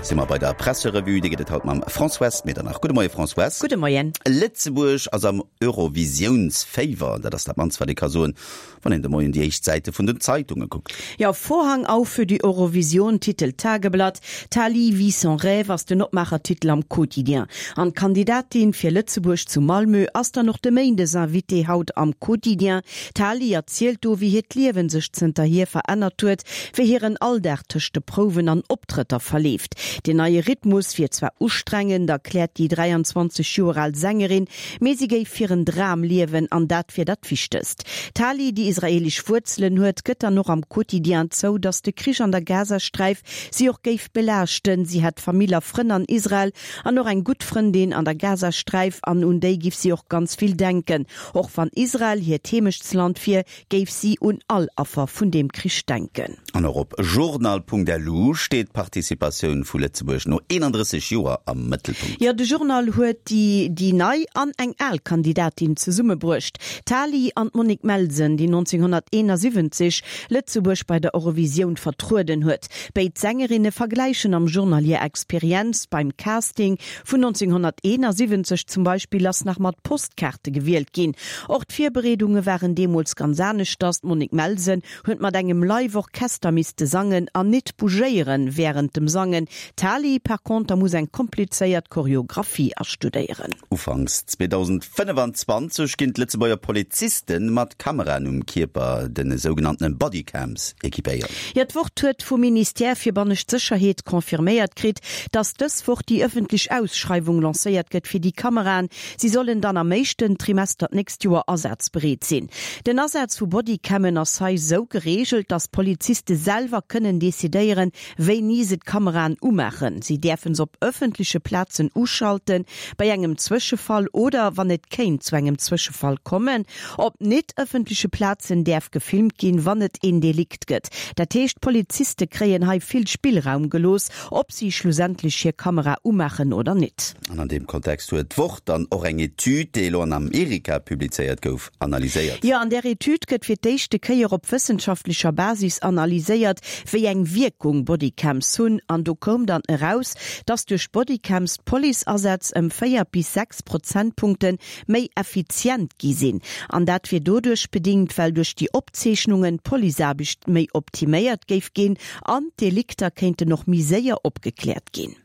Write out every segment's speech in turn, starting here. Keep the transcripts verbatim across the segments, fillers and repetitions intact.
si mer bei der Presserevue, déi gëtt et haut mam Françoise Medernach. Gudde Moie Françoise. Gudde Moien. Lëtzebuerg ass am Eurovisiounsféiwer, dat ass dat mannst wat ee ka soen, wann een de Moien déi éischt Säite vun den Zeitunge kuckt. Ja, Vorhang auf für die Eurovision, titelt d'Tageblatt. Tali vit son rêve ass den Opmaachertitel am Quotidien. An d'Kandidatin fir Lëtzebuerg zu Malmö ass dann och de Méindesinvité haut am Quotidien. D'Tali erzielt do, wéi hiert Liewen sech zënterhier verännert huet, wéi hiren Alldag tëscht de Prouwen an Optrëtter verleeft. Den neie Rhythmus wier zwar ustrengend, erkläert déi dräianzwanzeg Joer al Sängerin, mee si géif hiren Dram liewen an dat wier dat Wichtegst. D'Tali, déi israeelesch Wuerzelen huet, gëtt dann och am Quotidien zou, datt de Krich an der Gazasträif si och géif belaaschten. Si hätt Famill a Frënn an Israel an och eng gutt Frëndin an der Gazasträif an un déi giff si och ganz vill denken. Och wann Israel hiert Heemechtsland wier, géif si un all Affer vun deem Krich denken. An och op journal.lu steet d'Participatioun vu Lëtzebuerg no eenandrësseg Joer am Mëttelpunkt. Jo, de Journal huet déi déi nei an eng al Kandidatin zesummebruecht, d'Tali an d'Monique Melsen, déi nonzénghonnerteenasiwwenzeg Lëtzebuerg bei der Eurovisioun vertrueden huet. Béid Sängerinne vergläichen am Journal hir Experienz, Beim Casting vun nonzénghonnerteenasiwwenzeg zum Beispill ass nach mat Postkaarte gewielt ginn. Och d'Virbereedunge waren deemools ganz aneschters, D'Monique Melsen huet mat engem Live-Orchester misste sangen an nit bougéieren wärend dem Sangen. D'Tali par conter muss eng komplizéiert Choreographie astudéieren. Ufanks zweedausendfënnefanzwanzeg ginn d'Lëtzebuerger Poliziste mat Kameraen um Kierper, de sougenanntene Bodycams, equipéiert. Jo, d'Wort huet vum Ministère fir bannescht Sécherheet confirméiert kritt, datt dës Woch déi ëffentlech Ausschreiwung lancéiert gëtt fir déi Kameraen. Si sollen dann am éischten Trimester d'nächst Joer asazbereet sinn. Den Asaz vu Bodycammen ass hei sou gereegelt, datt d'Poliziste selwer kënnen decidéieren, wéini se d'Kameraen umaachen. Si däerfe se op ëffentleche Plazen uschalten, bei engem Zwëschefall oder wann et kéint zu engem Zwëschefall kommen. Op net ëffentleche Plazen däerf gefilmt ginn, wann et een Delikt gëtt. Dat heescht, d'Poliziste kréien hei vill Spillraum gelooss, ob si schlussendlech hir Kamera umaachen oder net. An an deem Kontext huet d'Wort dann och eng Etüd, déi elo an Amerika publizéiert gouf, analyséiert. Jo, an där Etüd gëtt fir d'éischte Kéier op wëssenschaftlecher Basis analyséiert, wéi eng Wierkung Bodycams hunn. An do koum dann eraus, dass duerch Bodycams d'Policeasätz ëm véier bis sechs Prozentpunkte méi effizient gi sinn. An dat wier doduerch bedingt, well duerch déi Opzeechnungen d'Policeaarbecht méi optiméiert géif ginn an d'Delikter kéinten och méi séier opgekläert ginn.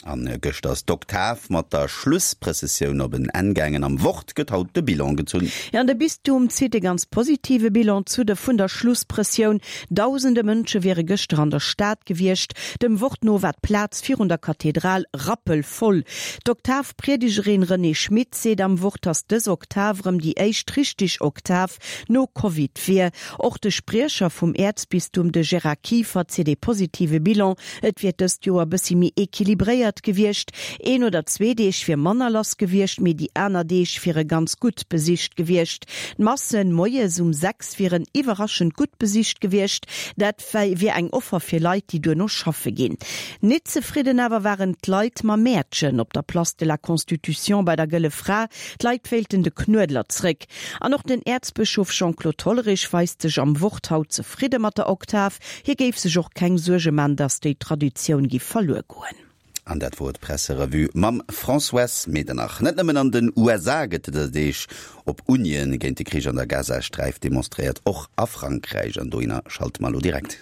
An gëschter ass d'Oktav mat der Schlussprëssessioun op en Enn gaangen. Am Wort gëtt haut de Bilan gezunn. Jo, an de Bistum zitt e ganz positive Bilan zu de vun der Schlussprëssioun. Dausende Mënsche wiere gëschter an der Stad gewiescht. Dem Wort no war d'Plaz virun der Kathedral rappelvoll. D'Oktavpriedegerin Renée Schmit seet am Wort, datt dës Oktav erëm déi éischt richteg Oktav no Covid wier. Och de Spriecher vum Äerzbistum, de Gérard Kieffer, zitt ee positive Bilan. Et wier dëst Joer bëssi méi equilibréiert gewiescht. Een oder zwee Deeg wier manner lass gewiescht, mee déi aner Deeg wiere ganz gutt besicht gewiescht. D'Massen moies um sechs wieren iwwerraschend gutt besicht gewiescht. Dat wier eng Offer fir Leit, déi duerno schaffe ginn. Nit zefridden awer waren d'Leit mam Mäertchen op der Place de la Constitution bei der Gëlle Fra. D'Leit wéilten de Knuedler zréck. An och den Äerzbëschof Jean-Claude Hollerich weist sech am Wort haut zefridde mat der Oktav. Hie géif sech och keng Suerge man, datt déi Traditioun giff verluer goen. An dat wor d'Presserevue mam Françoise Medernach. Net nëmmen an den U S A gëtt dëser Deeg op Unien géint de Krich an der Gazasträif demonstréiert, och a Frankräich. An dohinner schalte mer elo direkt.